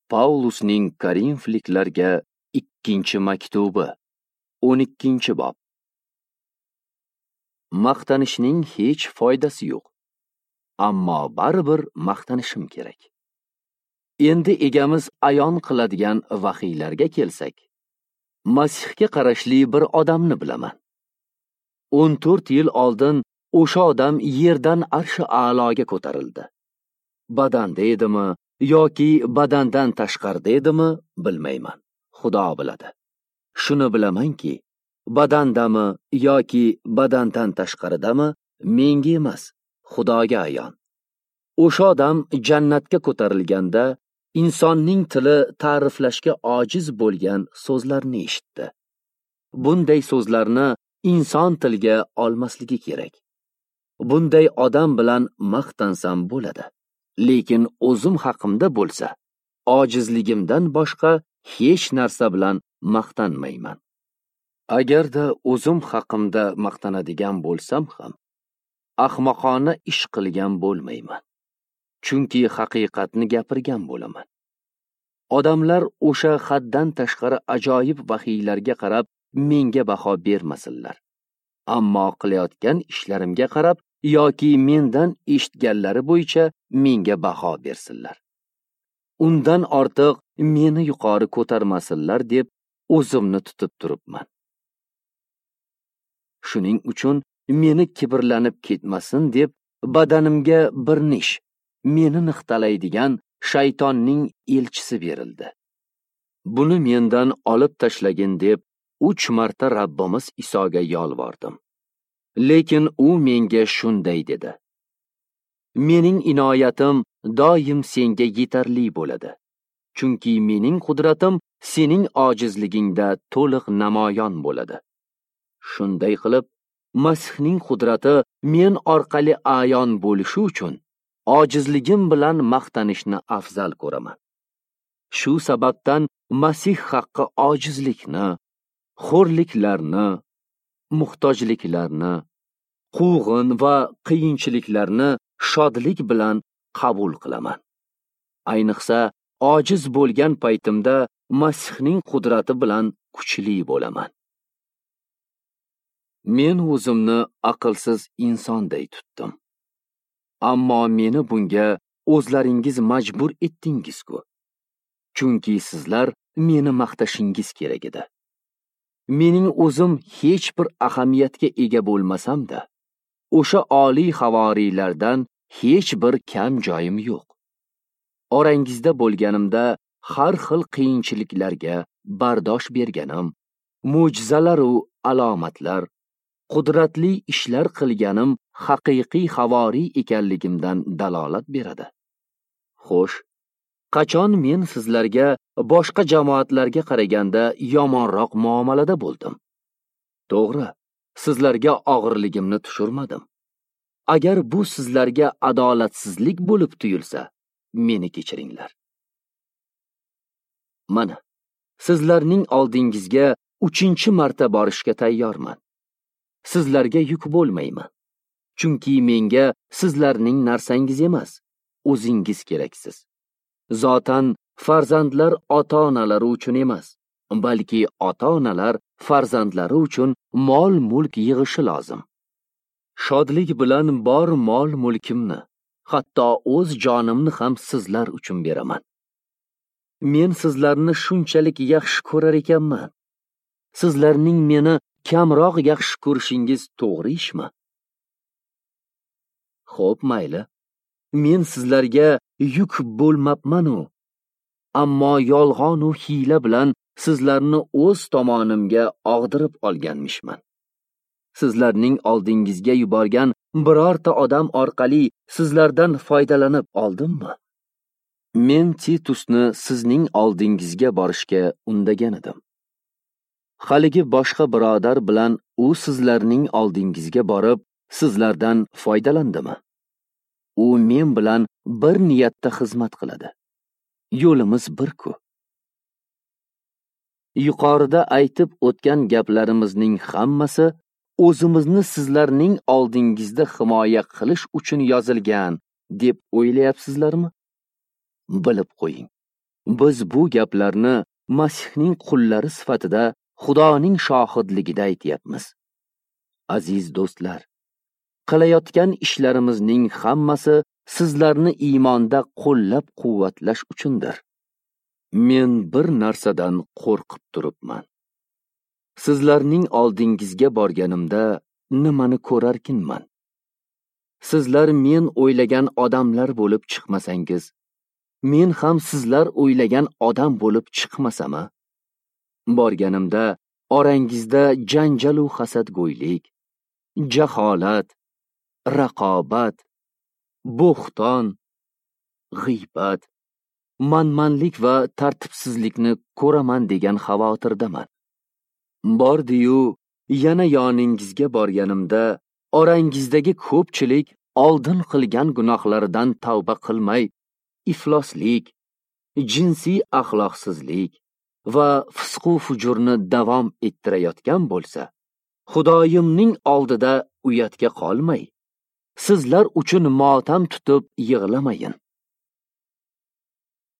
Paulusning Korinfliklarga ikkinchi maktubi, 12-bob. Maqtanishning hech foydasi yo'q. Ammo baribir maqtanishim kerak. Endi egamiz ayon qiladigan vahiylarga kelsak, Masihga qarashli bir odamni bilaman. 14 yil oldin o'sha odam yerdan arshi a'loga ko'tarildi. Badanda edimi yoki badandan tashqarida edimi bilmayman. Xudo biladi. Shuni bilamanki, badandami yoki badandan tashqaridami menga emas, Xudoga ayon. O'sha odam jannatga ko'tarilganda insonning tili ta'riflashga ojiz bo'lgan so'zlarni eshitdi. Bunday so'zlarni inson tilga olmasligi kerak. Bunday odam bilan maqtansam bo'ladi. Lekin o'zim haqimda bo'lsa, ojizligimdan boshqa hech narsa bilan maqtanmayman. Agarda o'zim haqimda maqtanadigan bo'lsam ham, ahmoqona ish qilgan bo'lmayman. Chunki haqiqatni gapirgan bo'laman. Odamlar o'sha haddan tashqari ajoyib vahiylarga qarab menga baho bermasinlar. Ammo qilayotgan ishlarimga qarab yoki mendan eshitganlari bo'yicha menga baho bersinlar. Undan ortiq meni yuqori ko'tarmasinlar deb o'zimni tutib turibman. Shuning uchun meni kibrlanib ketmasin deb badanimga bir nish, meni niqtalaydigan shaytonning elchisi berildi. Buni mendan olib tashlagin deb 3 marta Rabbimiz Isoga yolvordim. Lekin u menga shunday dedi: Mening inoyatim doim senga yetarli bo'ladi. Chunki mening qudratim sening ojizligingda to'liq namoyon bo'ladi. Shunday qilib, Masihning qudrati men orqali ayon bo'lishi uchun ojizligim bilan maqtanishni afzal ko'raman. Shu sababdan Masih haqqi ojizlikni, xo'rliklarni, muhtojliklarni, quvg'in va qiyinchiliklarni shodlik bilan qabul qilaman. Ayniqsa, ojiz bo'lgan paytimda Masihning qudrati bilan kuchli bo'laman. Men o'zimni aqlsiz insonday tutdim. Ammo meni bunga o'zlaringiz majbur etdingiz-ku. Chunki sizlar meni maqtashingiz kerak edi. Mening o'zim hech bir ahamiyatga ega bo'lmasam-da, o'sha oliy havoriylardan hech bir kam joyim yo'q. Orangizda bo'lganimda har xil qiyinchiliklarga bardosh berganim, mo'jizalar u alomatlar, qudratli ishlar qilganim haqiqiy havoriy ekanligimdan dalolat beradi. Xo'sh, qachon men sizlarga boshqa jamoatlarga qaraganda yomonroq muomalada bo'ldim? To'g'ri, sizlarga og'irligimni tushirmadim. Agar bu sizlarga adolatsizlik bo'lib tuyulsa, meni kechiringlar. Mana, sizlarning oldingizga 3-marta borishga tayyorman. Sizlarga yuk bo'lmayman. Chunki menga sizlarning narsangiz emas, o'zingiz keraksiz. Zotan farzandlar ota-onalari uchun emas, balki ota-onalar farzandlari uchun mol-mulk yig'ishi lozim. Shodlik bilan bor mol-mulkimni, hatto o'z jonimni ham sizlar uchun beraman. Men sizlarni shunchalik yaxshi ko'rar ekanman. Sizlarning meni kamroq yaxshi ko'rishingiz to'g'ri ishmi? Xo'p, mayli. Men sizlarga yuk bo'lmabman-u, ammo yolg'on u hiyla bilan sizlarni o'z tomonimga og'dirib olganmishman. Sizlarning oldingizga yuborgan birorta odam orqali sizlardan foydalanib oldimmi? Men Titusni sizning oldingizga borishga undagan edim. Haligi boshqa birodar bilan u sizlarning oldingizga borib, sizlardan foydalandimi? U men bilan bir niyatda xizmat qiladi. Yo'limiz bir-ku. Yuqorida aytib o'tgan gaplarimizning hammasi o'zimizni sizlarning oldingizda himoya qilish uchun yozilgan deb o'ylayapsizlarmi? Bilib qo'ying. Biz bu gaplarni Masihning qullari sifatida Xudoning shohidligida aytyapmiz. Aziz do'stlar, qilayotgan ishlarimizning hammasi sizlarni iymonda qo'llab-quvvatlash uchundir. Men bir narsadan qo'rqib turibman. Sizlarning oldingizga borganimda nimani ko'rarkinman? Sizlar men o'ylagan odamlar bo'lib chiqmasangiz, men ham sizlar o'ylagan odam bo'lib chiqmasam-a? Borganimda orangizda janjal u hasadgo'ylik, jaholat, raqobat, bo'xton, g'iybat, manmanlik va tartibsizlikni ko'raman degan xavotirdaman. Bordi-yu, yana yoningizga borganimda orangizdagi ko'pchilik oldin qilgan gunohlaridan tavba qilmay, ifloslik, jinsiy axloqsizlik va fisqu fujurni davom ettirayotgan bo'lsa, Xudoyimning oldida uyatga qolmay, sizlar uchun motam tutib yig'lamayin.